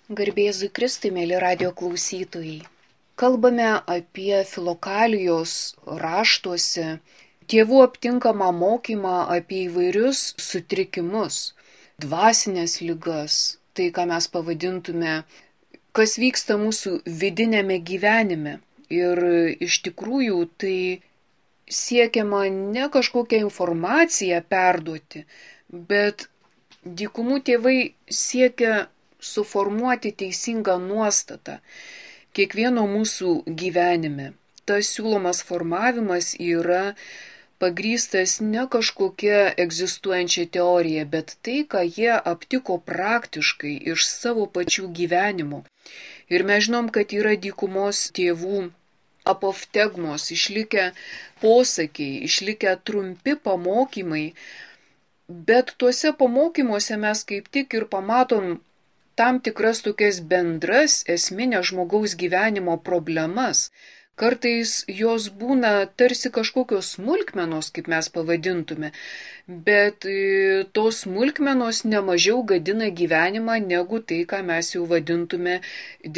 Garbėzui Kristui, mėly radio klausytojai. Kalbame apie Filokalijos raštuose tėvų aptinkamą mokymą apie įvairius sutrikimus, dvasinės ligas, tai ką mes pavadintume, kas vyksta mūsų vidinėme gyvenime. Ir iš tikrųjų tai siekiama ne kažkokią informaciją perduoti, bet dykumų tėvai siekia suformuoti teisingą nuostatą kiekvieno mūsų gyvenime. Tas siūlomas formavimas yra pagrįstas ne kažkokia egzistuojančia teorija, bet tai, ką jie aptiko praktiškai iš savo pačių gyvenimo. Ir mes žinom, kad yra dykumos tėvų apoftegmos, išlikę posakiai, išlikę trumpi pamokymai, bet tuose pamokymuose mes kaip tik ir pamatom tam tikras tokias bendras esminės žmogaus gyvenimo problemas. Kartais jos būna tarsi kažkokios smulkmenos, kaip mes pavadintume, bet tos smulkmenos nemažiau gadina gyvenimą negu tai, ką mes jau vadintume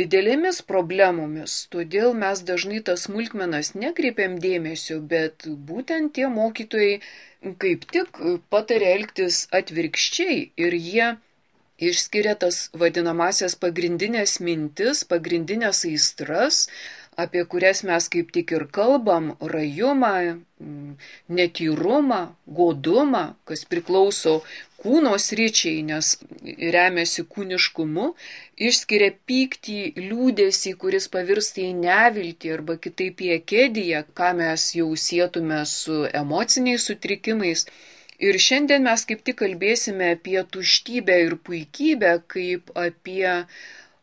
didelėmis problemomis. Todėl mes dažnai tas smulkmenas nekreipiam dėmesio, bet būtent tie mokytojai kaip tik patarė elgtis atvirkščiai ir jie išskiria tas vadinamasias pagrindinės mintis, pagrindinės aistras, apie kurias mes kaip tik ir kalbam, rajumą, netyrumą, godumą, kas priklauso kūno sričiai, nes remiasi kūniškumu, išskiria pyktį, liūdesį, kuris pavirsta į neviltį arba kitaip į akediją, ką mes jau sietume su emociniais sutrikimais. Ir šiandien mes kaip tik kalbėsime apie tuštybę ir puikybę, kaip apie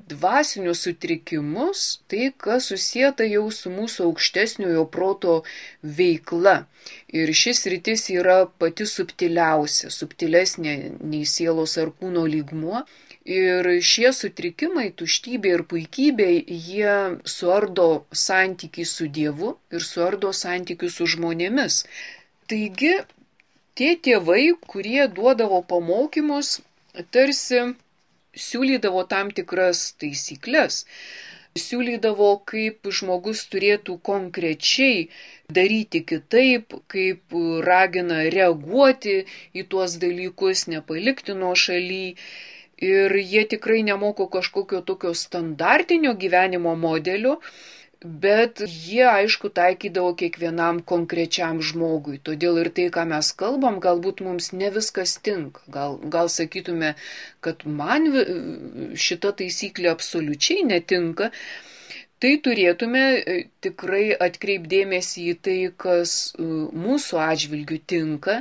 dvasinius sutrikimus, tai kas susieta jau su mūsų aukštesniojo proto veikla. Ir šis sritis yra pati subtiliausia, subtilesnė nei sielos ar kūno lygmuo. Ir šie sutrikimai, tuštybė ir puikybė, jie suardo santykį su Dievu ir suardo santykį su žmonėmis. Taigi, tie tėvai, kurie duodavo pamokymus, tarsi siūlydavo tam tikras taisyklės, siūlydavo, kaip žmogus turėtų konkrečiai daryti kitaip, kaip ragina reaguoti į tuos dalykus, nepalikti nuošaly. Ir jie tikrai nemoko kažkokio tokio standartinio gyvenimo modelio, bet jie, aišku, taikydavo kiekvienam konkrečiam žmogui. Todėl ir tai, ką mes kalbam, galbūt mums ne viskas tinka. Gal sakytume, kad man šita taisyklė absoliučiai netinka. Tai turėtume tikrai atkreipdėmėsi į tai, kas mūsų atžvilgių tinka,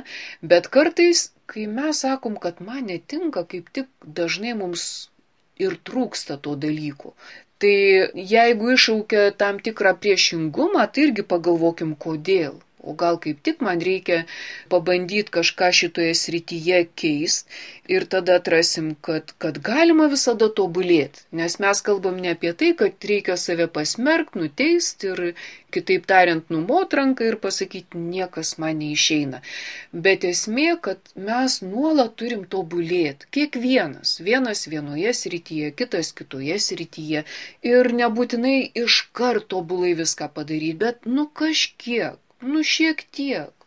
bet kartais, kai mes sakom, kad man netinka, kaip tik dažnai mums ir trūksta to dalyko. Tai jeigu iššaukia tam tikrą priešingumą, tai irgi pagalvokim, kodėl. O gal kaip tik man reikia pabandyti kažką šitoje srityje keisti ir tada atrasim, kad galima visada tobulėti. Nes mes kalbam ne apie tai, kad reikia save pasmerkti, nuteisti ir, kitaip tariant, numot ranką ir pasakyti, niekas man neišeina. Bet esmė, kad mes nuolat turim tobulėti. Kiekvienas. Vienas vienoje srityje, kitas kitoje srityje. Ir nebūtinai iškart tobulai viską padaryti, bet kažkiek. Šiek tiek.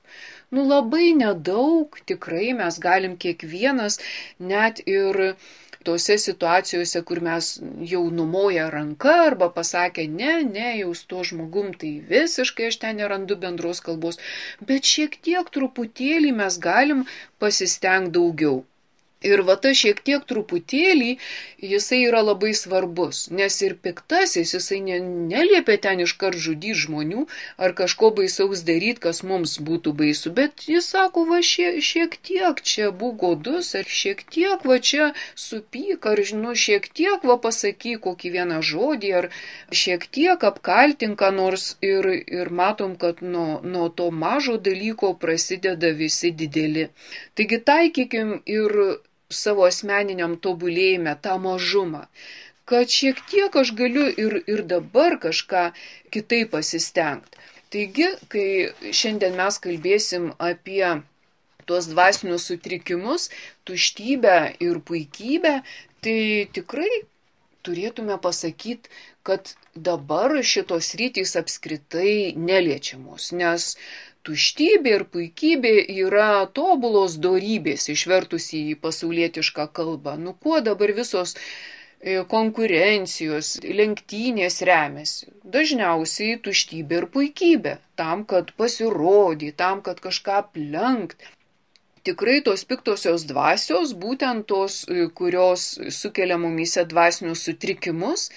Labai nedaug, tikrai mes galim kiekvienas, net ir tose situacijose, kur mes jau numoja ranka arba pasakė, ne, jau su to žmogum, tai visiškai aš ten nerandu bendros kalbos, bet šiek tiek truputėlį mes galim pasistengti daugiau. Ir va ta šiek tiek truputėlį, jisai yra labai svarbus, nes ir piktasis, jisai neliepia ten iškart žudyti žmonių ar kažko baisaus daryti, kas mums būtų baisu, bet jis sako, va šiek tiek čia būk godus, ar šiek tiek va čia supyk, ar šiek tiek va pasakyk kokį vieną žodį, ar šiek tiek apkaltink, nors ir matom, kad nuo to mažo dalyko prasideda visi dideli. Taigi taikykim ir savo asmeniniam tobulėjime tą mažumą, kad šiek tiek aš galiu ir dabar kažką kitaip pasistengti. Taigi, kai šiandien mes kalbėsim apie tuos dvasinius sutrikimus, tuštybę ir puikybę, tai tikrai turėtume pasakyti, kad dabar šitos rytys apskritai neliečiamos, nes tuštybė ir puikybė yra tobulos dorybės, išvertus į pasaulietišką kalbą. Nu kuo dabar visos konkurencijos, lenktynės remiasi? Dažniausiai tuštybė ir puikybė, tam, kad pasirodyti, tam, kad kažką aplenkt. Tikrai tos piktosios dvasios, būtent tos, kurios sukelia mumyse dvasinius sutrikimus,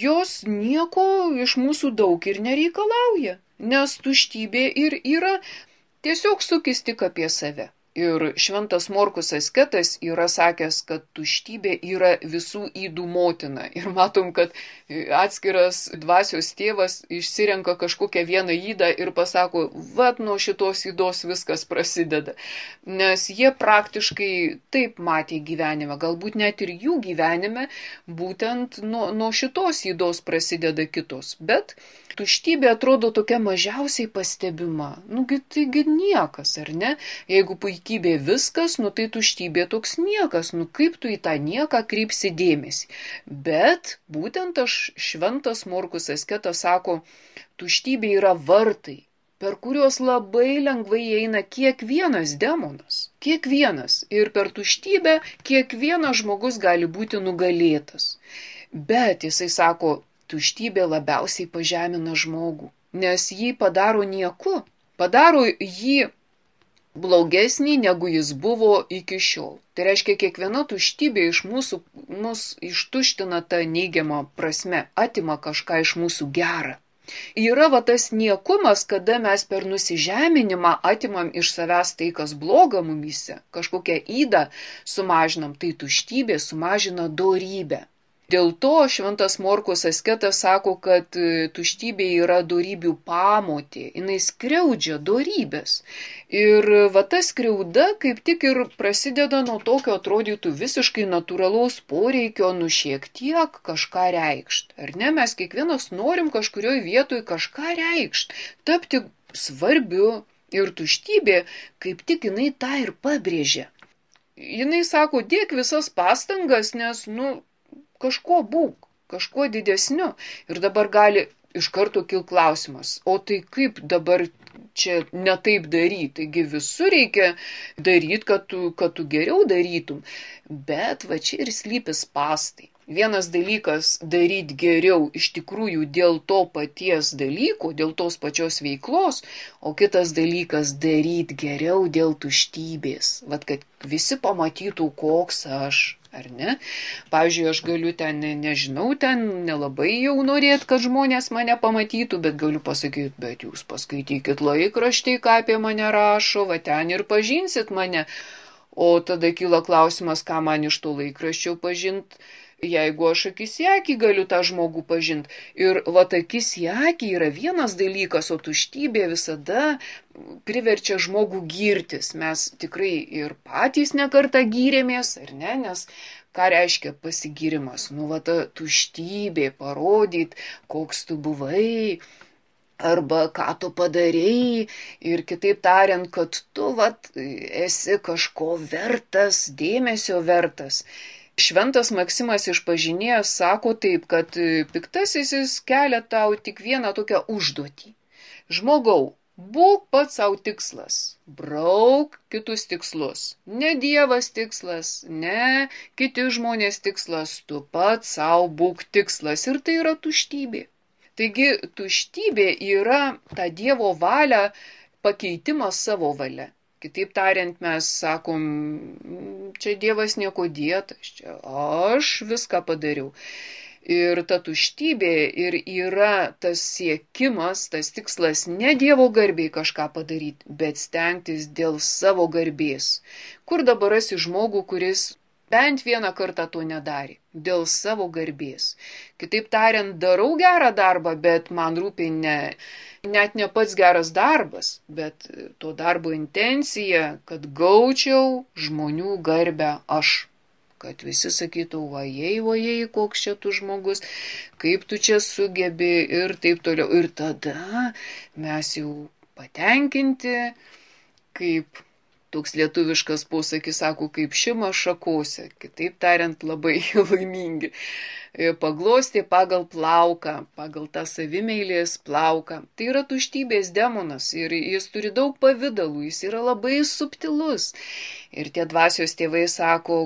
jos nieko iš mūsų daug ir nereikalauja, nes tuštybė ir yra tiesiog sukis tik apie save. Ir šventas Morkus asketas yra sakęs, kad tuštybė yra visų ydų motina. Ir matom, kad atskiras dvasios tėvas išsirenka kažkokią vieną ydą ir pasako, vat nuo šitos ydos viskas prasideda. Nes jie praktiškai taip matė gyvenime, galbūt net ir jų gyvenime, būtent nuo šitos ydos prasideda kitos. Bet tuštybė atrodo tokia mažiausiai pastebima. Taigi niekas, ar ne? Jeigu puikybė viskas, tai tuštybė toks niekas. Kaip tu į tą nieką kreipsi dėmesį? Bet būtent šventas Morkus asketas sako, tuštybė yra vartai, per kuriuos labai lengvai eina kiekvienas demonas. Kiekvienas. Ir per tuštybę kiekvienas žmogus gali būti nugalėtas. Bet jisai sako, tuštybė labiausiai pažemina žmogų, nes jį padaro nieku, padaro jį blogesnį, negu jis buvo iki šiol. Tai reiškia, kiekviena tuštybė iš mus ištuština tą neigiamą prasme, atima kažką iš mūsų gerą. Yra tas niekumas, kada mes per nusižeminimą atimam iš savęs tai, kas bloga mumyse, kažkokią ydą sumažinam, tai tuštybė sumažina dorybę. Dėl to šventas Morkus asketas sako, kad tuštybė yra dorybių pamotė, jinai skriaudžia dorybės. Ir ta skriauda kaip tik ir prasideda nuo tokio atrodytų visiškai natūralaus poreikio šiek tiek kažką reikšt. Ar ne, mes kiekvienas norim kažkurioje vietoje kažką reikšt, tapti svarbiu. Ir tuštybė kaip tik jinai tą ir pabrėžia. Jinai sako, dėk visas pastangas, nes, kažko būk, kažko didesniu. Ir dabar gali iš karto kilti klausimas, o tai kaip dabar čia netaip daryti? Taigi visur reikia daryti, kad tu geriau darytum. Bet čia ir slypi spąstai. Vienas dalykas daryti geriau iš tikrųjų dėl to paties dalyko, dėl tos pačios veiklos, o kitas dalykas daryti geriau dėl tuštybės. Kad visi pamatytų, koks aš. Ar ne? Pavyzdžiui, aš galiu nelabai jau norėti, kad žmonės mane pamatytų, bet galiu pasakyti, bet jūs paskaitykit laikraštį, ką apie mane rašo, ten ir pažinsit mane. O tada kyla klausimas, ką man iš to laikraščio pažint, jeigu aš akis į akį galiu tą žmogų pažinti. Ir akis į akį yra vienas dalykas, o tuštybė visada priverčia žmogų girtis. Mes tikrai ir patys nekartą gyrėmės, ar ne? Nes ką reiškia pasigyrimas? Ta tuštybė, parodyti, koks tu buvai, arba ką tu padarei, ir kitaip tariant, kad tu esi kažko vertas, dėmesio vertas. Šventas Maksimas Išpažinėjas sako taip, kad piktasis jis kelia tau tik vieną tokią užduotį. Žmogau, būk pats savo tikslas, brauk kitus tikslus. Ne Dievas tikslas, ne kiti žmonės tikslas, tu pats savo būk tikslas. Ir tai yra tuštybė. Taigi tuštybė yra ta Dievo valia pakeitimas savo valia. Kitaip tariant, mes sakom, čia Dievas nieko dėtas, čia aš viską padariau. Ir ta tuštybė ir yra tas siekimas, tas tikslas ne Dievo garbei kažką padaryti, bet stengtis dėl savo garbės. Kur dabar rasi žmogų, kuris bent vieną kartą to nedarė, dėl savo garbės. Kitaip tariant, darau gerą darbą, bet man rūpi net ne pats geras darbas, bet to darbo intencija, kad gaučiau žmonių garbę aš. Kad visi sakytų, vajei, koks čia tu žmogus, kaip tu čia sugebi ir taip toliau. Ir tada mes jau patenkinti, kaip toks lietuviškas posakis sako, kaip šimas šakose. Kitaip tariant, labai laimingi. paglostė pagal plauką, pagal tą savimeilės plauką. Tai yra tuštybės demonas ir jis turi daug pavydalų, jis yra labai subtilus. Ir tie dvasios tėvai sako,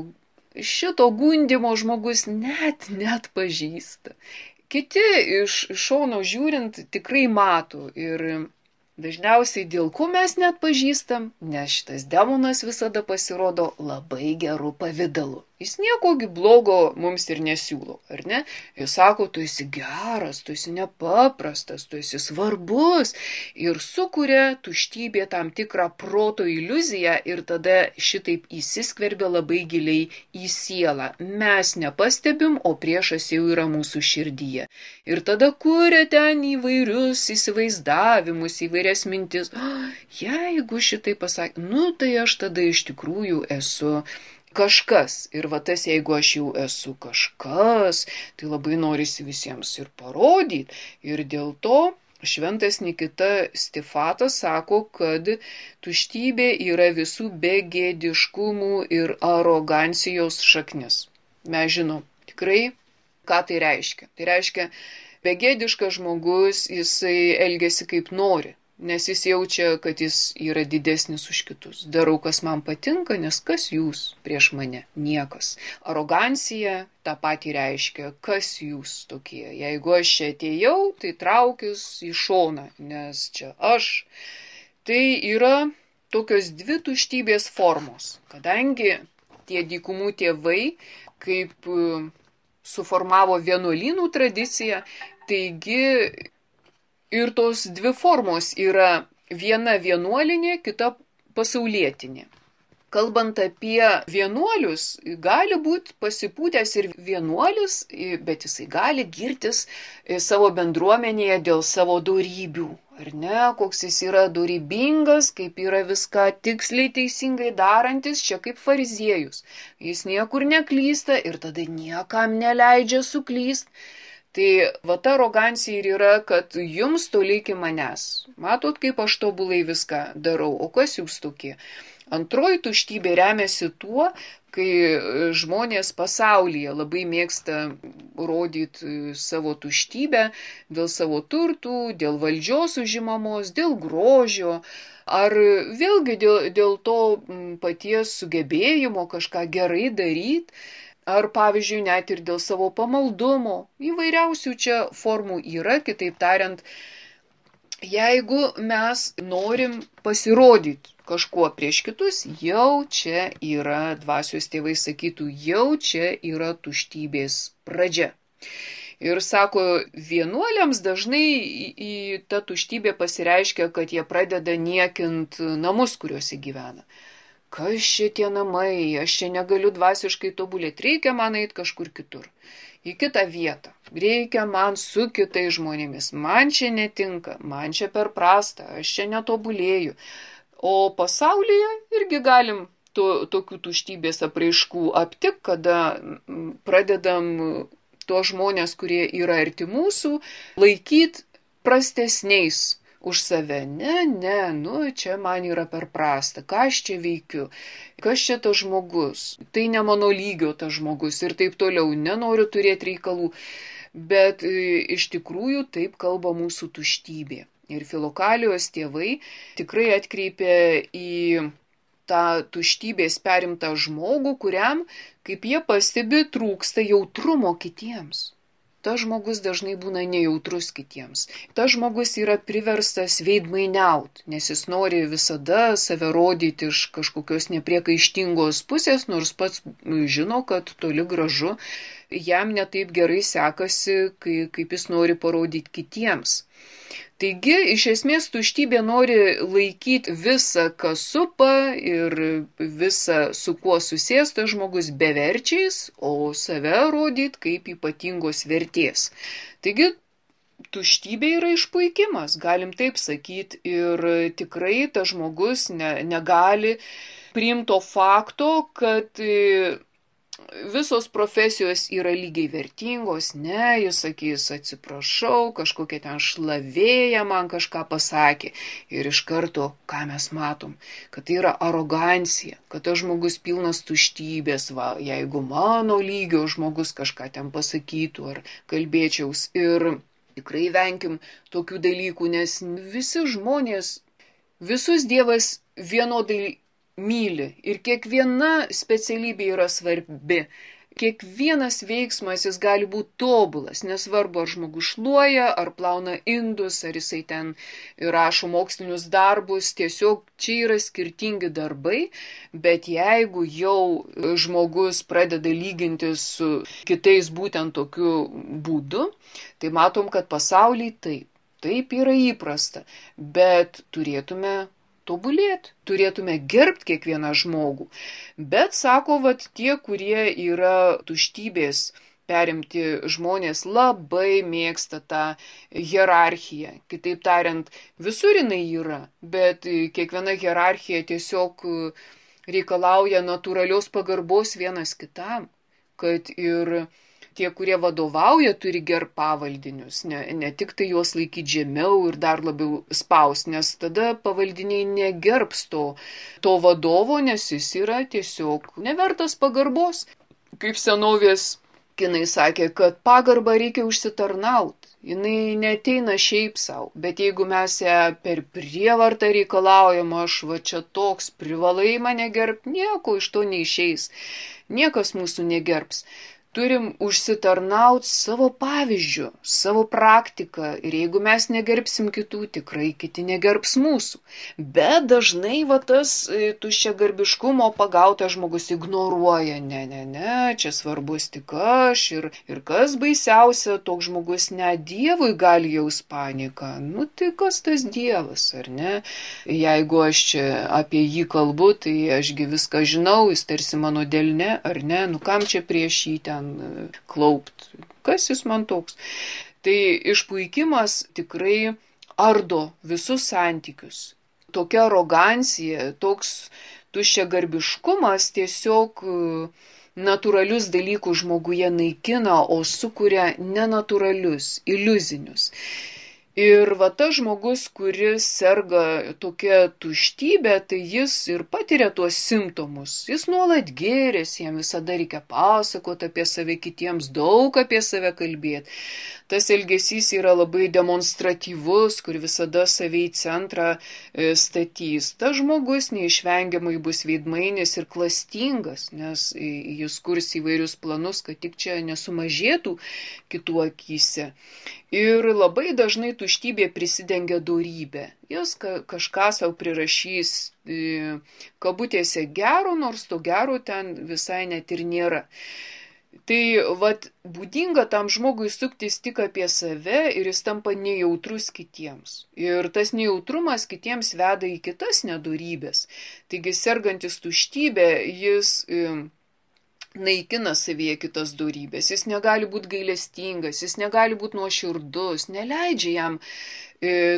šito gundimo žmogus net pažįsta. Kiti iš šono žiūrint tikrai mato ir dažniausiai dėl ko mes net pažįstam, nes šitas demonas visada pasirodo labai gerų pavydalų. Jis niekogi blogo mums ir nesiūlo, ar ne? Jis sako, tu esi geras, tu esi nepaprastas, tu esi svarbus ir sukuria tuštybė tam tikrą proto iliuziją ir tada šitaip įsiskverbia labai giliai į sielą. Mes nepastebim, o priešas jau yra mūsų širdyje. Ir tada kuria ten įvairius įsivaizdavimus, įvairias mintis. Jeigu šitai pasakė, tai aš tada iš tikrųjų esu kažkas. Ir va tas, jeigu aš jau esu kažkas, tai labai norisi visiems ir parodyti. Ir dėl to šventas Nikita Stifatas sako, kad tuštybė yra visų begėdiškumų ir arogancijos šaknis. Mes žinom tikrai, ką tai reiškia. Tai reiškia, begėdiškas žmogus, jisai elgiasi kaip nori. Nes jis jaučia, kad jis yra didesnis už kitus. Darau, kas man patinka, nes kas jūs prieš mane? Niekas. Arogancija tą patį reiškia, kas jūs tokie. Jeigu aš čia atėjau, tai traukius į šoną, nes čia aš. Tai yra tokios dvi tuštybės formos. Kadangi tie dykumų tėvai, kaip suformavo vienuolynų tradiciją, taigi ir tos dvi formos yra viena vienuolinė, kita pasaulietinė. Kalbant apie vienuolius, gali būti pasipūtęs ir vienuolis, bet jisai gali girtis savo bendruomenėje dėl savo dorybių. Ar ne, koks jis yra dorybingas, kaip yra viską tiksliai teisingai darantis, čia kaip fariziejus. Jis niekur neklysta ir tada niekam neleidžia suklyst. Tai va ta arogancija ir yra, kad jums toli iki manęs. Matot, kaip aš tobulai viską darau, o kas jūs tokie? Antroji tuštybė remiasi tuo, kai žmonės pasaulyje labai mėgsta rodyti savo tuštybę dėl savo turtų, dėl valdžios užimamos, dėl grožio, ar vėlgi dėl to paties sugebėjimo kažką gerai daryti. Ar, pavyzdžiui, net ir dėl savo pamaldumo. Įvairiausių čia formų yra, kitaip tariant, jeigu mes norim pasirodyti kažkuo prieš kitus, jau čia yra, dvasios tėvai sakytų, jau čia yra tuštybės pradžia. Ir sako, vienuoliams dažnai į tą tuštybę pasireiškia, kad jie pradeda niekint namus, kuriuose gyvena. Kas čia tie namai, aš čia negaliu dvasiškai tobulėti, reikia man eiti kažkur kitur, į kitą vietą, reikia man su kitais žmonėmis, man čia netinka, man čia per prasta, aš čia netobulėju. O pasaulyje irgi galim tokių tuštybės apraiškų aptik, kada pradedam tuos žmonės, kurie yra arti mūsų, laikyti prastesniais už save. Ne, čia man yra per prasta, ką aš čia veikiu, kas čia tas žmogus, tai ne mano lygio tas žmogus ir taip toliau, nenoriu turėti reikalų, bet iš tikrųjų taip kalba mūsų tuštybė. Ir Filokalijos tėvai tikrai atkreipė į tą tuštybės perimtą žmogų, kuriam, kaip jie pastebi, trūksta jautrumo kitiems. Tas žmogus dažnai būna nejautrus kitiems. Tas žmogus yra priverstas veidmainiauti, nes jis nori visada save rodyti iš kažkokios nepriekaištingos pusės, nors pats žino, kad toli gražu jam netaip gerai sekasi, kaip jis nori parodyti kitiems. Taigi, iš esmės, tuštybė nori laikyti visą, kas supa ir visą, su kuo susėsta žmogus beverčiais, o save rodyti kaip ypatingos vertės. Taigi, tuštybė yra išpuikimas, galim taip sakyti, ir tikrai tas žmogus negali priimti to fakto, kad visos profesijos yra lygiai vertingos, ne, jis sakys, atsiprašau, kažkokia ten šlavėja man kažką pasakė. Ir iš karto, ką mes matom, kad tai yra arogancija, kad tas žmogus pilnas tuštybės, va, jeigu mano lygio žmogus kažką ten pasakytų ar kalbėčiaus. Ir tikrai venkim tokių dalykų, nes visi žmonės, visus Dievas vienodai myli ir kiekviena specialybė yra svarbi. Kiekvienas veiksmas jis gali būti tobulas, nesvarbu ar žmogus šluoja, ar plauna indus, ar jisai ten rašo mokslinius darbus, tiesiog čia yra skirtingi darbai, bet jeigu jau žmogus pradeda lygintis su kitais būtent tokiu būdu, tai matom, kad pasaulyje taip yra įprasta, bet turėtume tobulėti, turėtume gerbti kiekvieną žmogų. Bet sako, tie, kurie yra tuštybės perimti žmonės, labai mėgsta tą hierarchiją. Kitaip tariant, visur jinai yra, bet kiekviena hierarchija tiesiog reikalauja natūralios pagarbos vienas kitam, kad ir tie, kurie vadovauja, turi gerbti pavaldinius, ne tik tai juos laikyti žemiau ir dar labiau spaus, nes tada pavaldiniai negerbs to vadovo, nes jis yra tiesiog nevertas pagarbos. Kaip senovės kinai sakė, kad pagarbą reikia užsitarnauti, jinai neteina šiaip savo, bet jeigu mes ją per prievartą reikalaujam, aš va čia toks, privalai mane gerbti, nieko iš to neišeis, niekas mūsų negerbs. Turim užsitarnauti savo pavyzdžių, savo praktiką ir jeigu mes negerbsim kitų, tikrai kiti negerbs mūsų. Bet dažnai tas tuščiagarbiškumo pagautas žmogus ignoruoja, ne, čia svarbus tik aš ir kas baisiausia, toks žmogus net Dievui gali jaus paniką. Tai kas tas Dievas, ar ne? Jeigu aš čia apie jį kalbu, tai ašgi viską žinau, jis tarsi mano delne, ar ne? Kam čia prieš jį ten klaupt. Kas jis man toks? Tai išpuikimas tikrai ardo visus santykius. Tokia arogancija, toks tuščiagarbiškumas tiesiog natūralius dalykus žmoguje naikina, o sukuria nenatūralius, iliuzinius. Ir tas žmogus, kuris serga tokia tuštybė, tai jis ir patiria tuos simptomus. Jis nuolat gėrėsi, jam visada reikia pasakoti apie save kitiems, daug apie save kalbėti. Tas elgesys yra labai demonstratyvus, kur visada save į centrą statys. Tas žmogus neišvengiamai bus veidmainis ir klastingas, nes jis kurs įvairius planus, kad tik čia nesumažėtų kitų akyse. Ir labai dažnai tuštybė prisidengia dorybė. Jis kažką savo prirašys kabutėse gero, nors to gero ten visai net ir nėra. Tai būdinga tam žmogui suktis tik apie save ir jis tampa nejautrus kitiems. Ir tas nejautrumas kitiems veda į kitas nedorybės. Taigi sergantis tuštybė, jis naikina savyje kitas dorybės, jis negali būti gailestingas, jis negali būti nuoširdus, neleidžia jam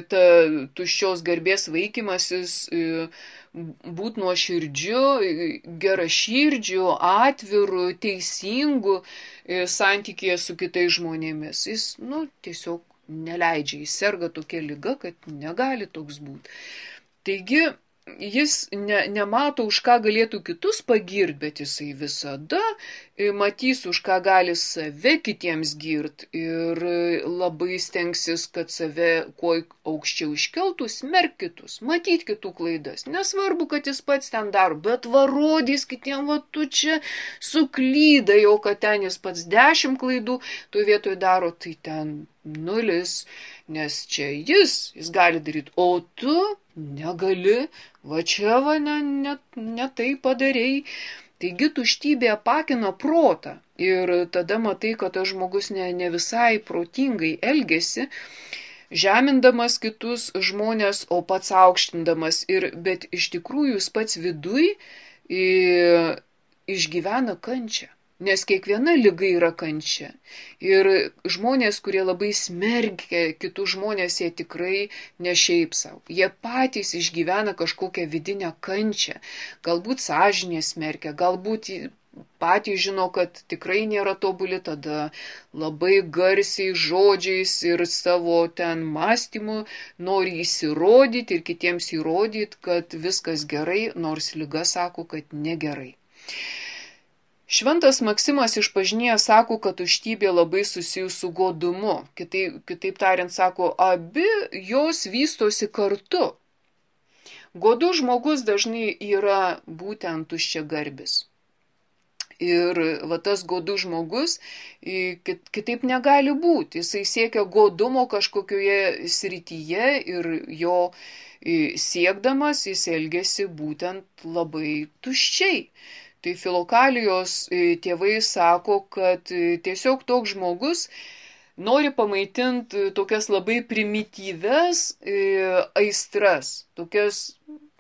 ta tuščios garbės vaikymasis būti nuoširdžiu, geraširdžiu, atviru, teisingu santykėje su kitais žmonėmis. Jis tiesiog neleidžia, jis serga tokia liga, kad negali toks būti. Taigi, jis nemato, už ką galėtų kitus pagirti, bet jisai visada matys, už ką gali save kitiems girti ir labai stengsis, kad save kuo aukščiau iškeltų, smerk kitus, matyt kitų klaidas. Nesvarbu, kad jis pats ten daro, bet rodys kitiem, tu čia suklydai, o kad ten jis pats 10 klaidų, tu vietoj daro, tai ten 0, nes čia jis gali daryti, o tu negali, ne tai padarei. Taigi tuštybė apakina protą ir tada matai, kad tas žmogus ne visai protingai elgesi, žemindamas kitus žmonės, o pats aukštindamas. Bet iš tikrųjų jis pats viduj išgyvena kančią. Nes kiekviena liga yra kančia. Ir žmonės, kurie labai smerkia kitus žmonės, jie tikrai ne šiaip savo. Jie patys išgyvena kažkokią vidinę kančią. Galbūt sąžinė smerkia, galbūt patys žino, kad tikrai nėra tobuli, tada labai garsiai žodžiais ir savo ten mąstymu nori įsirodyti ir kitiems įrodyti, kad viskas gerai, nors lyga sako, kad negerai. Šventas Maksimas išpažinėjęs sako, kad tuštybė labai susijus su godumu. Kitaip tariant, sako, abi jos vystosi kartu. Godus žmogus dažnai yra būtent tuščiagarbis. Ir va tas godus žmogus kitaip negali būti. Jisai siekia godumo kažkokioje srityje ir jo siekdamas jis elgesi būtent labai tuščiai. Tai Filokalijos tėvai sako, kad tiesiog toks žmogus nori pamaitinti tokias labai primityves aistras, tokias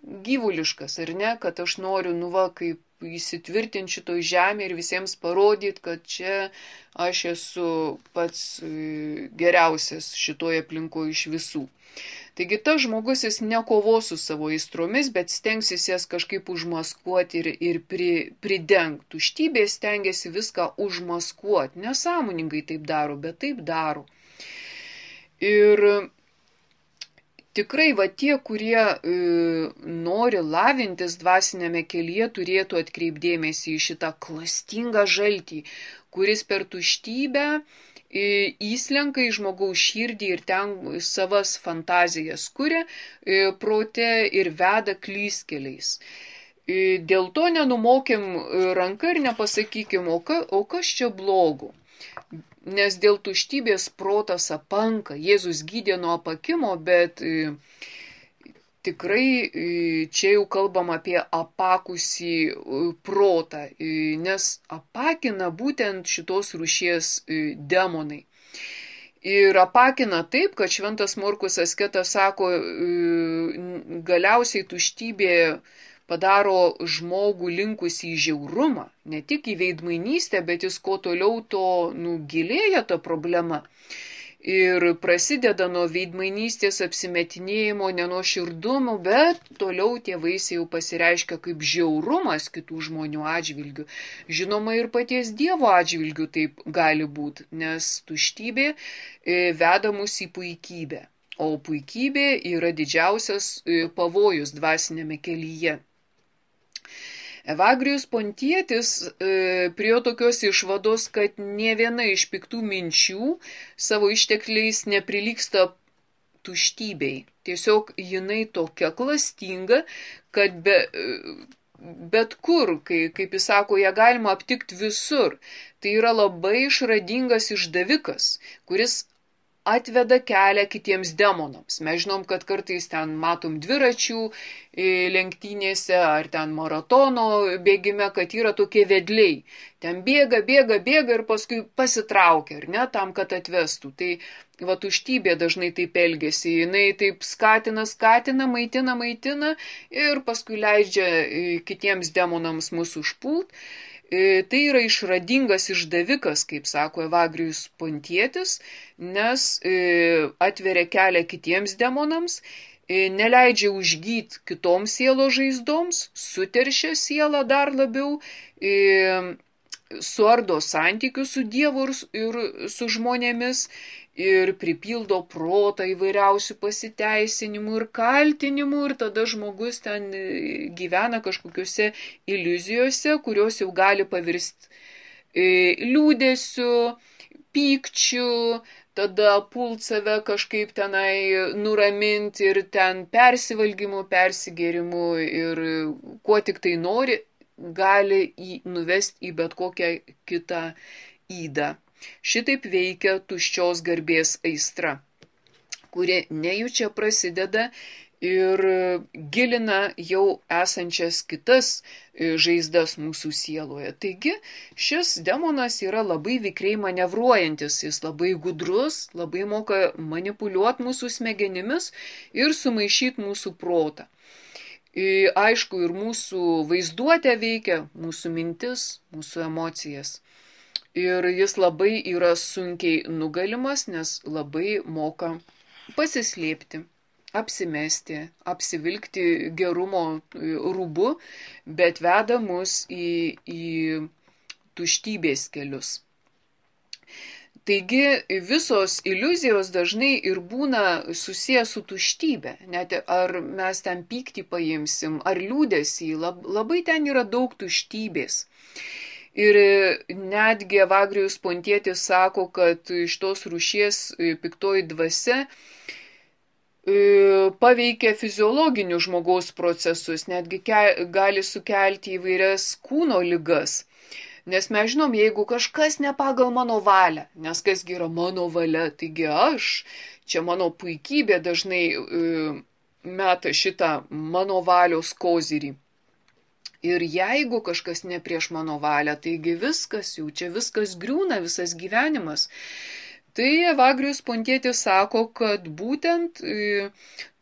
gyvuliškas, ar ne, kad aš noriu, kaip įsitvirtinti šitoj žemėje ir visiems parodyti, kad čia aš esu pats geriausias šitoje aplinkoje iš visų. Taigi tas žmogus jis nekovos su savo aistromis, bet stengsis jas kažkaip užmaskuoti ir pridengti. Tuštybė stengiasi viską užmaskuoti. Nesąmoningai taip daro, bet taip daro. Ir tikrai tie, kurie nori lavintis dvasinėme kelyje, turėtų atkreipdėmėsi į šitą klastingą žaltį, kuris per tuštybę įslenka į žmogaus širdį ir ten savas fantazijas kuria prote ir veda klystkeliais. Dėl to nenumokėm ranką ir nepasakykim, o kas čia blogo. Nes dėl tuštybės protas apanka. Jėzus gydė nuo apakimo, bet tikrai čia jau kalbam apie apakusį protą, nes apakina būtent šitos rūšies demonai. Ir apakina taip, kad šventas Morkus asketas sako, galiausiai tuštybė padaro žmogų linkusį į žiaurumą, ne tik į veidmainystę, bet jis kuo toliau to gilėja ta problema. Ir prasideda nuo veidmainystės apsimetinėjimo, nenuoširdumo, bet toliau tie vaisiai jau pasireiškia kaip žiaurumas kitų žmonių atžvilgių. Žinoma, ir paties Dievo atžvilgių taip gali būti, nes tuštybė veda mus į puikybę, o puikybė yra didžiausias pavojus dvasinėme kelyje. Evagrijus Pontietis prie tokios išvados, kad nė viena iš piktų minčių savo ištekliais neprilygsta tuštybei. Tiesiog jinai tokia klastinga, kad bet kur, kaip jis sako, ją galima aptikti visur. Tai yra labai išradingas išdavikas, kuris atveda kelią kitiems demonams. Mes žinom, kad kartais ten matom dviračių lenktynėse ar ten maratono bėgime, kad yra tokie vedliai. Ten bėga ir paskui pasitraukia, ar ne, tam, kad atvestų. Tai tuštybė dažnai taip elgesi. Jinai taip skatina, maitina ir paskui leidžia kitiems demonams mūsų užpult. Tai yra išradingas išdavikas, kaip sako Evagrijus Pontietis, nes atveria kelią kitiems demonams, neleidžia užgyti kitoms sielos žaizdoms, suteršia sielą dar labiau, suardo santykius su Dievu ir su žmonėmis ir pripildo protą įvairiausių pasiteisinimų ir kaltinimų ir tada žmogus ten gyvena kažkokiuose iliuzijose, kurios jau gali pavirsti liūdėsiu, pykčiu, tada pult save kažkaip tenai nuraminti ir ten persivalgymu, persigėrimu ir kuo tik tai nori, gali nuvesti į bet kokią kitą ydą. Šitaip veikia tuščios garbės aistra, kuri nejučia prasideda ir gilina jau esančias kitas žaizdas mūsų sieloje. Taigi šis demonas yra labai vikriai manevruojantis, jis labai gudrus, labai moka manipuliuoti mūsų smegenimis ir sumaišyti mūsų protą. Aišku, ir mūsų vaizduotė veikia, mūsų mintis, mūsų emocijas. Ir jis labai yra sunkiai nugalimas, nes labai moka pasislėpti, apsimesti, apsivilkti gerumo rūbu, bet veda mus į tuštybės kelius. Taigi visos iliuzijos dažnai ir būna susijęs su tuštybė. Net ar mes ten pyktį paimsim, ar liūdesį, labai ten yra daug tuštybės. Ir netgi Evagrijus Pontietis sako, kad iš tos rūšies piktoji dvasia paveikia fiziologinius žmogaus procesus, netgi gali sukelti įvairias kūno ligas. Nes mes žinom, jeigu kažkas ne pagal mano valią, nes kasgi yra mano valia, taigi aš, čia mano puikybė dažnai meta šitą mano valios kozirį. Ir jeigu kažkas ne prieš mano valią, taigi viskas, jau čia viskas griūna, visas gyvenimas. Tai Evagrijus Pontietis sako, kad būtent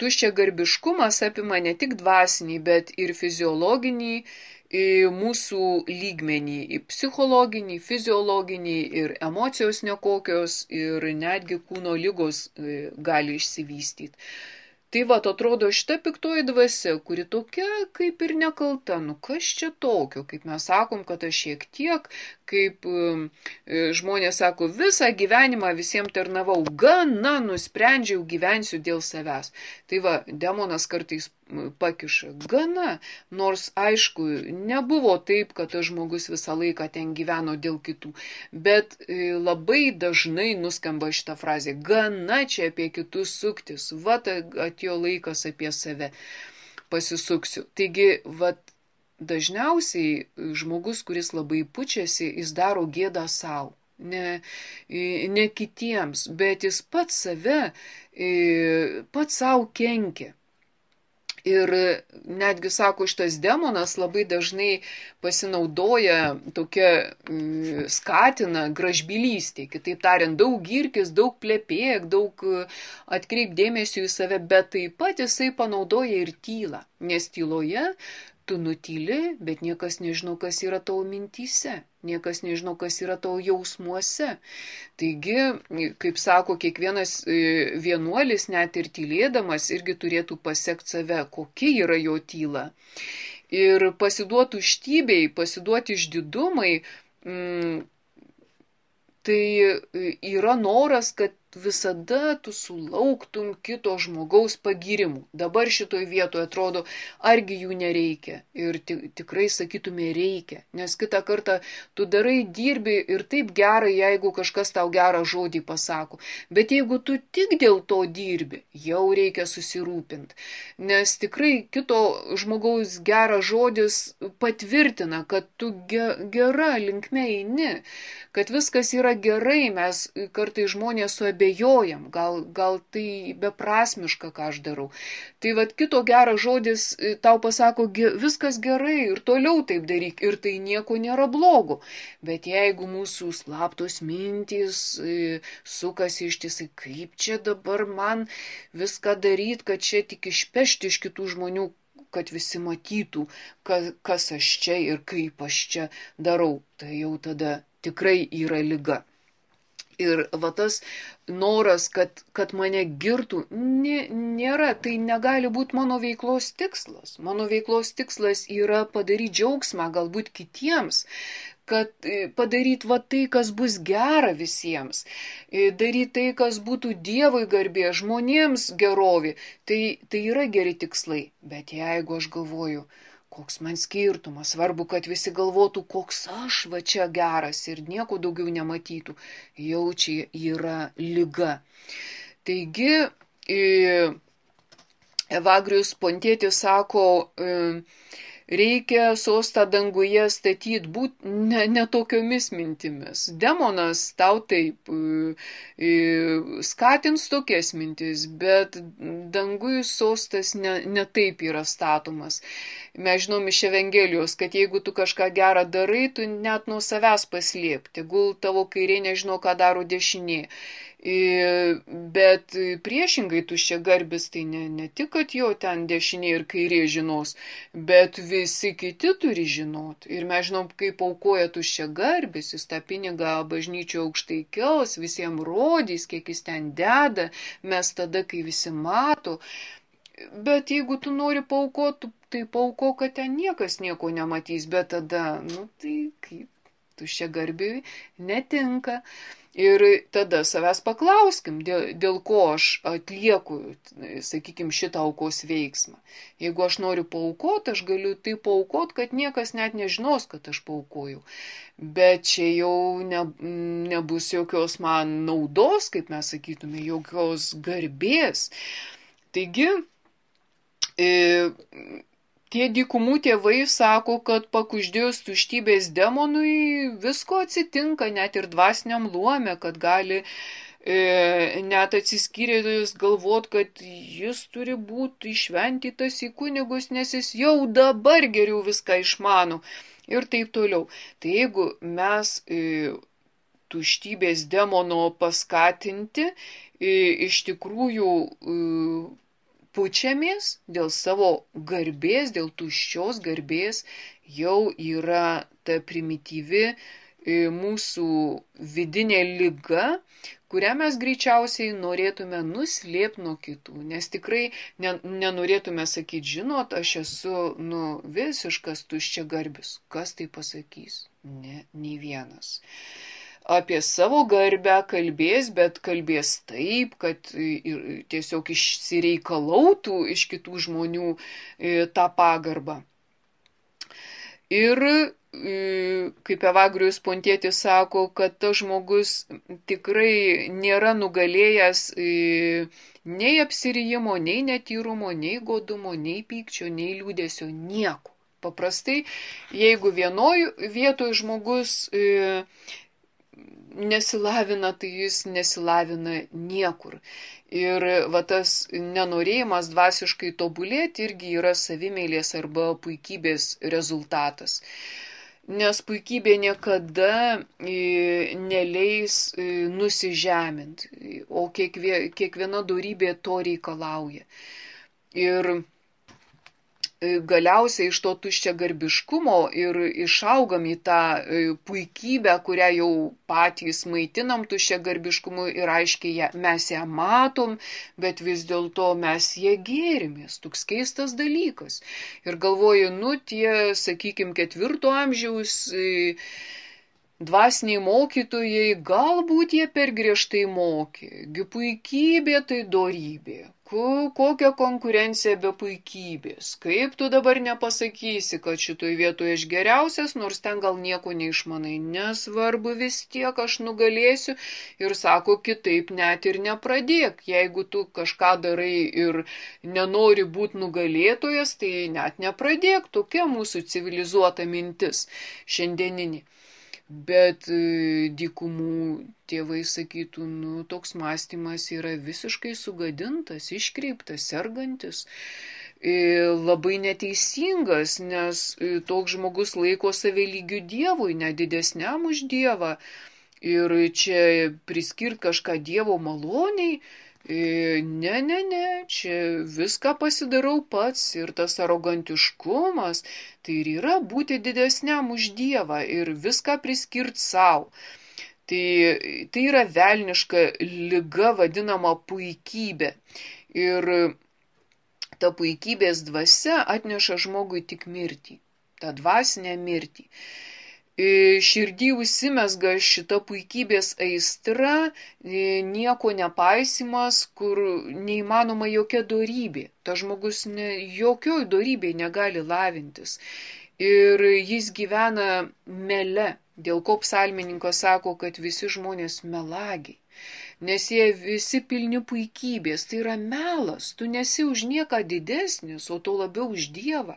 tuščiagarbiškumas apima ne tik dvasinį, bet ir fiziologinį mūsų lygmenį, psichologinį, fiziologinį ir emocijos nekokios ir netgi kūno ligos gali išsivystyti. Tai va, atrodo šita piktoji dvasia, kuri tokia kaip ir nekalta, kas čia tokio, kaip mes sakom, kad aš šiek tiek, kaip žmonės sako, visą gyvenimą visiems tarnavau, gana nusprendžiau gyvensiu dėl savęs. Tai va, demonas kartais pakiša, gana, nors aišku, nebuvo taip, kad tas žmogus visą laiką ten gyveno dėl kitų, bet labai dažnai nuskamba šitą frazę, gana čia apie kitus suktis, va, atėjo laikas apie save pasisuksiu. Taigi, va, dažniausiai žmogus, kuris labai pučiasi, jis daro gėdą savo. Ne kitiems, bet jis pats savo kenkia. Ir netgi, sako, šitas demonas labai dažnai pasinaudoja tokia, skatina gražbylystė. Kitaip tariant, daug girkis, daug plepėk, daug atkreip dėmesio į save, bet taip pat jisai panaudoja ir tylą. Nes tyloje tu nutyli, bet niekas nežino, kas yra tavo mintyse. Niekas nežino, kas yra tavo jausmuose. Taigi, kaip sako, kiekvienas vienuolis, net ir tylėdamas, irgi turėtų pasekti save, kokia yra jo tyla. Ir pasiduoti tuštybei, pasiduoti išdidumai, tai yra noras, kad visada tu sulauktum kito žmogaus pagyrimų. Dabar šitoj vietoje atrodo, argi jų nereikia. Ir tikrai sakytume reikia. Nes kitą kartą tu darai, dirbi ir taip gerai, jeigu kažkas tau gerą žodį pasako. Bet jeigu tu tik dėl to dirbi, jau reikia susirūpinti. Nes tikrai kito žmogaus geras žodis patvirtina, kad tu gera linkme eini. Kad viskas yra gerai, mes kartais žmonės suabejojam, gal tai beprasmiška, ką aš darau. Tai vat kito geras žodis tau pasako, viskas gerai ir toliau taip daryk ir tai nieko nėra blogo. Bet jeigu mūsų slaptos mintys sukasi ištisai, kaip čia dabar man viską daryti, kad čia tik išpešti iš kitų žmonių, kad visi matytų, kas aš čia ir kaip aš čia darau, tai jau tada tikrai yra liga. Ir va tas noras, kad mane girtų, nėra, tai negali būti mano veiklos tikslas. Mano veiklos tikslas yra padaryti džiaugsmą galbūt kitiems, kad padaryti va tai, kas bus gera visiems, daryti tai, kas būtų Dievui garbė, žmonėms gerovė. Tai yra geri tikslai, bet jeigu aš galvoju, koks man skirtumas, svarbu, kad visi galvotų, koks aš va čia geras ir nieko daugiau nematytų, jau čia yra liga. Taigi, Evagrijus Pontietis sako, reikia sostą danguje statyti ne tokiomis mintimis. Demonas tau taip skatins tokias mintis, bet dangui sostas ne taip yra statomas. Mes žinom iš Evangelijos, kad jeigu tu kažką gerą darai, tu net nuo savęs paslėp. Tegul tavo kairė nežino, ką daro dešinė. Bet priešingai tuščiagarbis, tai ne tik, kad jo ten dešinė ir kairė žinos, bet visi kiti turi žinot. Ir mes žinom, kaip aukoja tuščiagarbis, jis tą pinigą bažnyčio aukštai kels, visiems rodys, kiek jis ten deda, mes tada, kai visi mato. Bet jeigu tu nori paaukoti, tai paaukok, kad ten niekas nieko nematys, bet tada, tai kaip? tuščiagarbiui netinka. Ir tada savęs paklauskim, dėl ko aš atlieku, sakykime, šitą aukos veiksmą. Jeigu aš noriu paaukoti, aš galiu tai paaukoti, kad niekas net nežinos, kad aš paaukojau. Bet čia jau nebus jokios man naudos, kaip mes sakytume, jokios garbės. Taigi, tie dykumų tėvai sako, kad pakuždėjus tuštybės demonui visko atsitinka, net ir dvasiniam luome, kad gali net atsiskyrėjus galvot, kad jis turi būti išventytas į kunigus, nes jis jau dabar geriau viską išmano ir taip toliau. Tai jeigu mes tuštybės demono paskatinti iš tikrųjų pučiamės dėl savo garbės, dėl tuščios garbės, jau yra ta primityvi mūsų vidinė liga, kurią mes greičiausiai norėtume nuslėpti nuo kitų, nes tikrai nenorėtume sakyti, žinot, aš esu visiškas tuščiagarbis. Kas tai pasakys? Ne, nei vienas. Apie savo garbę kalbės, bet kalbės taip, kad tiesiog išsireikalautų iš kitų žmonių tą pagarbą. Ir kaip Evagrijus Pontietis sako, kad tas žmogus tikrai nėra nugalėjęs nei apsirijimo, nei netyrumo, nei godumo, nei pykčio, nei liūdėsio, nieko. Paprastai, jeigu vienoj vietoj žmogus nesilavina, tai jis nesilavina niekur. Ir va tas nenorėjimas dvasiškai tobulėti irgi yra savimeilės arba puikybės rezultatas. Nes puikybė niekada neleis nusižeminti, o kiekviena dorybė to reikalauja. Ir galiausiai iš to tuščiagarbiškumo ir išaugam į tą puikybę, kurią jau patys maitinam tuščiagarbiškumu ir aiškiai mes ją matom, bet vis dėlto mes ją gėrimės. Toks keistas dalykas. Ir galvoju, tie, sakykime, 4 amžiaus dvasiniai mokytojai, galbūt jie per griežtai mokė. Gi puikybė tai dorybė. Kokia konkurencija be puikybės? Kaip tu dabar nepasakysi, kad šitoj vietoje aš geriausias, nors ten gal nieko neišmanai. Nesvarbu, vis tiek aš nugalėsiu ir sako, kitaip net ir nepradėk. Jeigu tu kažką darai ir nenori būti nugalėtojas, tai net nepradėk. Tokia mūsų civilizuota mintis šiandieninė. Bet dykumų tėvai sakytų, toks mąstymas yra visiškai sugadintas, iškreiptas, sergantis, labai neteisingas, nes toks žmogus laiko save lygiu Dievui, ne didesniam už Dievą. Ir čia priskirt kažką Dievo maloniai, ne, čia viską pasidarau pats ir tas arogantiškumas, tai ir yra būti didesniam už Dievą ir viską priskirt savo. Tai yra velniška liga vadinama puikybė. Ir ta puikybės dvasia atneša žmogui tik mirtį, tą dvasinę mirtį. Širdį užsimesga šita puikybės aistra, nieko nepaisimas, kur neįmanoma jokia dorybė. Ta žmogus jokioj dorybėj negali lavintis. Ir jis gyvena mele, dėl ko psalmininkas sako, kad visi žmonės melagiai. Nes jie visi pilni puikybės, tai yra melas, tu nesi už nieką didesnis, o to labiau už Dievą.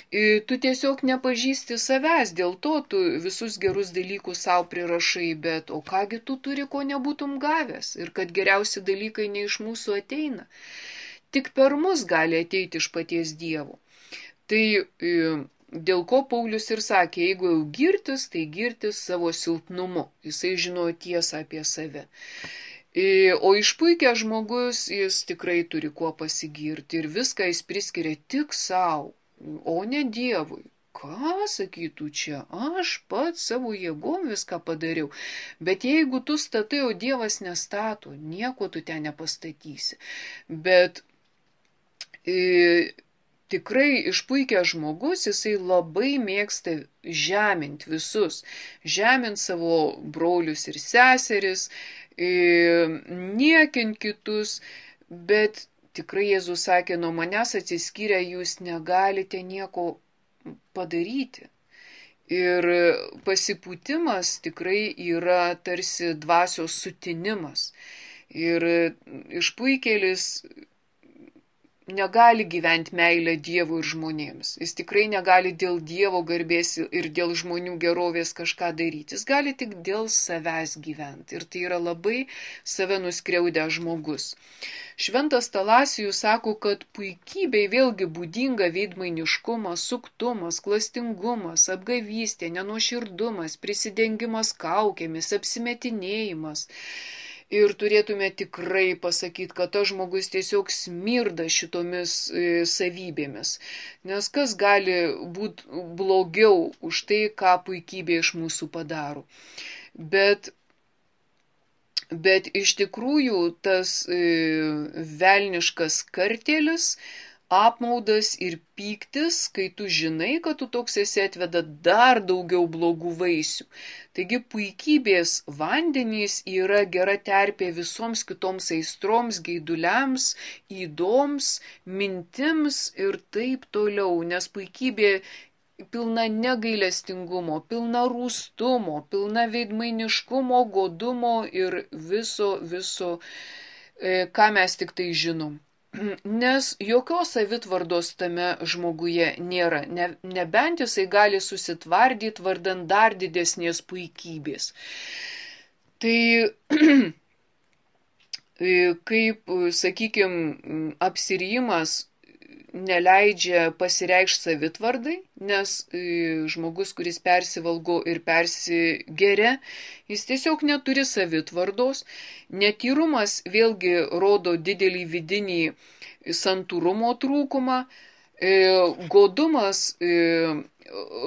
Tu tiesiog nepažįsti savęs, dėl to tu visus gerus dalykus savo prirašai, bet o kągi tu turi, ko nebūtum gavęs ir kad geriausi dalykai ne iš mūsų ateina. Tik per mus gali ateiti iš paties Dievo. Tai dėl ko Paulius ir sakė, jeigu jau girtis, tai girtis savo silpnumu. Jisai žinojo tiesą apie save. O išpuikęs žmogus, jis tikrai turi kuo pasigirti ir viską jis priskiria tik savo. O ne Dievui. Ką sakytų čia? Aš pats savo jėgom viską padariau. Bet jeigu tu statai, o Dievas nestato, nieko tu ten nepastatysi. Bet tikrai išpuikęs žmogus, jisai labai mėgsta žeminti visus, žeminti savo brolius ir seseris, niekinti kitus, bet tikrai Jėzus sakė, nuo manęs atsiskyrę jūs negalite nieko padaryti. Ir pasipūtimas tikrai yra tarsi dvasios sutinimas. Ir išpuikėlis negali gyventi meilę Dievui ir žmonėms. Jis tikrai negali dėl Dievo garbės ir dėl žmonių gerovės kažką daryti. Jis gali tik dėl savęs gyventi. Ir tai yra labai save nuskriaudęs žmogus. Šventas Talasijus sako, kad puikybei vėlgi būdinga veidmainiškumas, suktumas, klastingumas, apgavystė, nenuoširdumas, prisidengimas kaukėmis, apsimetinėjimas. Ir turėtume tikrai pasakyti, kad tas žmogus tiesiog smirda šitomis savybėmis. Nes kas gali būti blogiau už tai, ką puikybė iš mūsų padaro. Bet iš tikrųjų tas velniškas kartėlis, apmaudas ir pyktis, kai tu žinai, kad tu toks esi, atveda dar daugiau blogų vaisių. Taigi puikybės vandenys yra gera terpė visoms kitoms aistroms, geiduliams, įdoms, mintims ir taip toliau, nes puikybė pilna negailestingumo, pilna rūstumo, pilna veidmainiškumo, godumo ir viso, ką mes tik tai žinom. Nes jokios savitvardos tame žmoguje nėra, nebent jisai gali susitvardyti vardant dar didesnės puikybės. Tai kaip, sakykime, apsirijimas neleidžia pasireikšti savitvardai, nes žmogus, kuris persivalgo ir persigeria, jis tiesiog neturi savitvardos. Netyrumas vėlgi rodo didelį vidinį santūrumo trūkumą. Godumas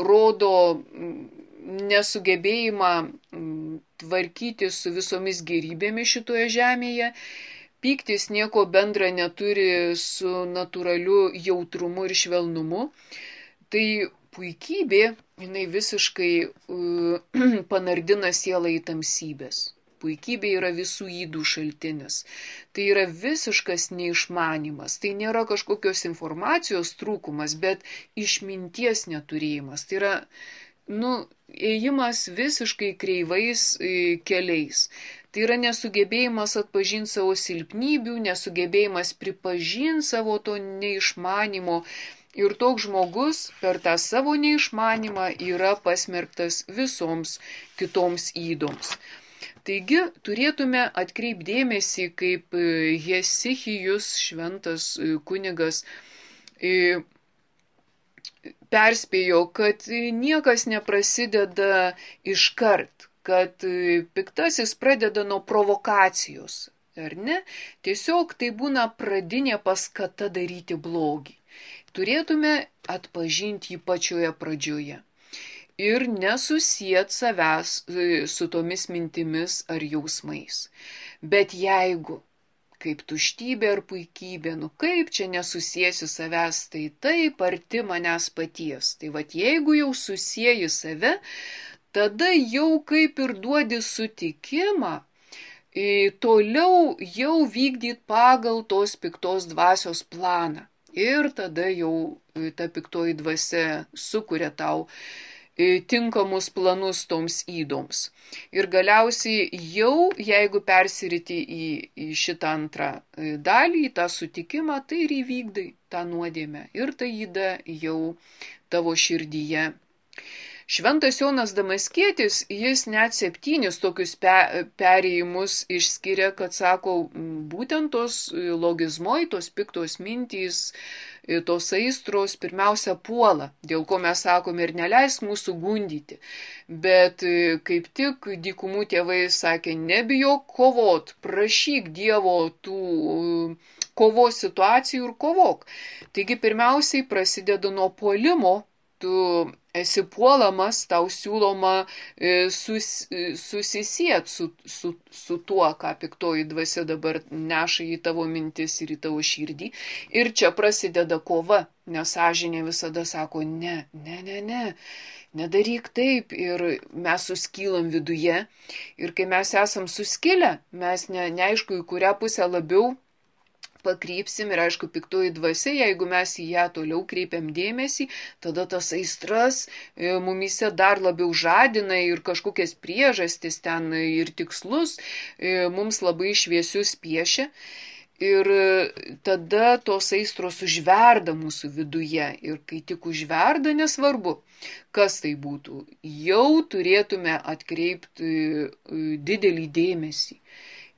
rodo nesugebėjimą tvarkyti su visomis gėrybėmis šitoje žemėje. Pyktis nieko bendra neturi su natūraliu jautrumu ir švelnumu. Tai puikybė, jinai visiškai panardina sielą į tamsybės. Puikybė yra visų ydų šaltinis. Tai yra visiškas neišmanimas. Tai nėra kažkokios informacijos trūkumas, bet išminties neturėjimas. Tai yra, ėjimas visiškai kreivais keliais. Tai yra nesugebėjimas atpažinti savo silpnybių, nesugebėjimas pripažinti savo to neišmanimo. Ir toks žmogus per tą savo neišmanimą yra pasmerktas visoms kitoms įdoms. Taigi turėtume atkreipdėmėsi, kaip Hesichijus, šventas kunigas, perspėjo, kad niekas neprasideda iškart, kad piktasis pradeda nuo provokacijos, ar ne? Tiesiog tai būna pradinė paskata daryti blogį. Turėtume atpažinti jį pačioje pradžioje ir nesusiet savęs su tomis mintimis ar jausmais. Bet jeigu, kaip tuštybė ar puikybė, kaip čia nesusiesi savęs, tai taip arti manęs paties. Tai vat jeigu jau susieji save, tada jau kaip ir duodi sutikimą toliau jau vykdyti pagal tos piktos dvasios planą. Ir tada jau ta piktoji dvasia sukuria tau tinkamus planus toms įdoms. Ir galiausiai jau, jeigu persiriti į šitą antrą dalį, į tą sutikimą, tai ir įvykdai tą nuodėmę. Ir ta įda jau tavo širdyje. Šventas Jonas Damaskietis, jis net 7 tokius perėjimus išskiria, kad sako, būtent tos logizmoj, tos piktos mintys, tos aistros pirmiausia puola, dėl ko mes sakome ir neleisk mūsų gundyti. Bet kaip tik dykumų tėvai sakė, nebijok kovot, prašyk Dievo tų kovos situacijų ir kovok. Taigi pirmiausiai prasideda nuo puolimo, tu esi puolamas, tau siūloma susisiet su tuo, ką piktoji dvasia dabar neša į tavo mintis ir į tavo širdį. Ir čia prasideda kova, nes sąžinė visada sako, ne, nedaryk taip, ir mes suskylam viduje. Ir kai mes esam suskilę, mes neaišku, į kurią pusę labiau pakrypsim, ir aišku, piktoji dvasia, jeigu mes į ją toliau kreipiam dėmesį, tada tas aistras mumise dar labiau žadina ir kažkokias priežastis ten ir tikslus mums labai šviesius piešia. Ir tada tos aistros užverda mūsų viduje. Ir kai tik užverda, nesvarbu, kas tai būtų, jau turėtume atkreipti didelį dėmesį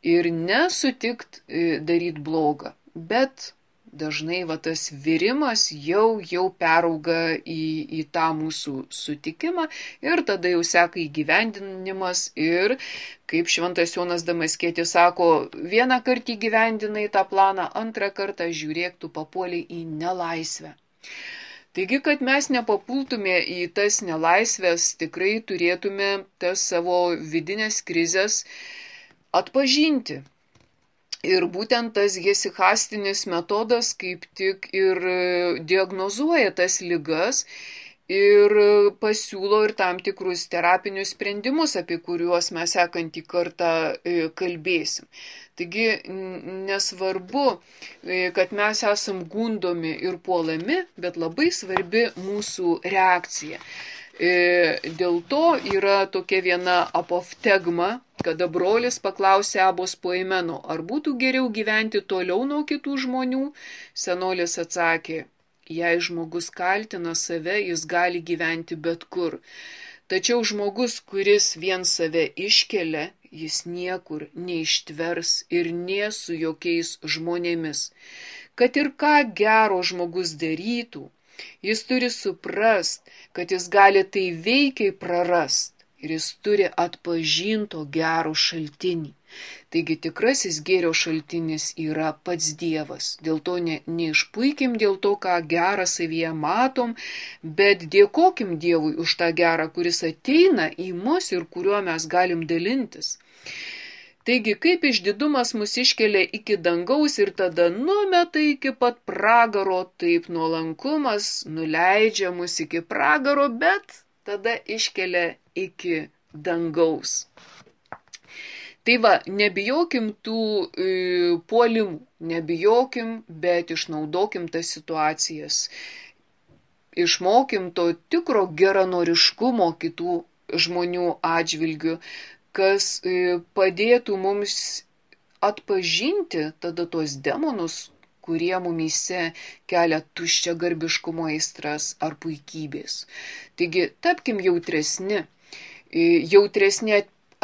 ir nesutikt daryti blogą. Bet dažnai tas virimas jau perauga į tą mūsų sutikimą ir tada jau seka įgyvendinimas. Ir kaip šventas Jonas Damaskietis sako, vieną kartą įgyvendinai tą planą, antrą kartą žiūrėk, tu papuoliai į nelaisvę. Taigi, kad mes nepapultume į tas nelaisvės, tikrai turėtume tas savo vidinės krizės atpažinti. Ir būtent tas hesichastinis metodas kaip tik ir diagnozuoja tas ligas ir pasiūlo ir tam tikrus terapinius sprendimus, apie kuriuos mes sekantį kartą kalbėsim. Taigi nesvarbu, kad mes esam gundomi ir puolami, bet labai svarbi mūsų reakcija. Dėl to yra tokia viena apoftegma, kada brolis paklausė Abos Poimeno, ar būtų geriau gyventi toliau nuo kitų žmonių. Senolis atsakė, jei žmogus kaltina save, jis gali gyventi bet kur. Tačiau žmogus, kuris vien save iškelia, jis niekur neištvers ir nė su jokiais žmonėmis. Kad ir ką gero žmogus darytų, jis turi suprast, kad jis gali tai veikiai prarast ir jis turi atpažinto gero šaltinį. Taigi tikrasis gėrio šaltinis yra pats Dievas. Dėl to neišpuikim dėl to, ką gerą savyje matom, bet dėkokim Dievui už tą gerą, kuris ateina į mus ir kuriuo mes galim dalintis. Taigi, kaip išdidumas mus iškelia iki dangaus ir tada numeta iki pat pragaro, taip nuolankumas nuleidžia mus iki pragaro, bet tada iškelia iki dangaus. Tai va, nebijokim tų puolimų, nebijokim, bet išnaudokim tas situacijas. Išmokim to tikro geranoriškumo kitų žmonių atžvilgių, kas padėtų mums atpažinti tada tos demonus, kurie mumyse kelia tuščią garbiškumo aistras ar puikybės. Taigi, tapkim jautresni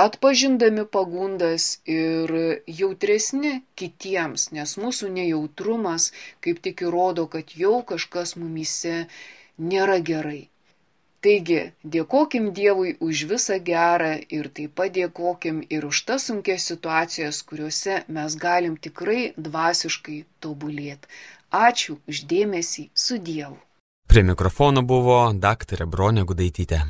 atpažindami pagundas ir jautresni kitiems, nes mūsų nejautrumas kaip tik įrodo, kad jau kažkas mumyse nėra gerai. Taigi, dėkokim Dievui už visą gerą ir taip pat dėkokim ir už tas sunkias situacijas, kuriuose mes galim tikrai dvasiškai tobulėti. Ačiū už dėmesį, su Dievu. Prie mikrofono buvo daktarė Bronė Gudaitytė.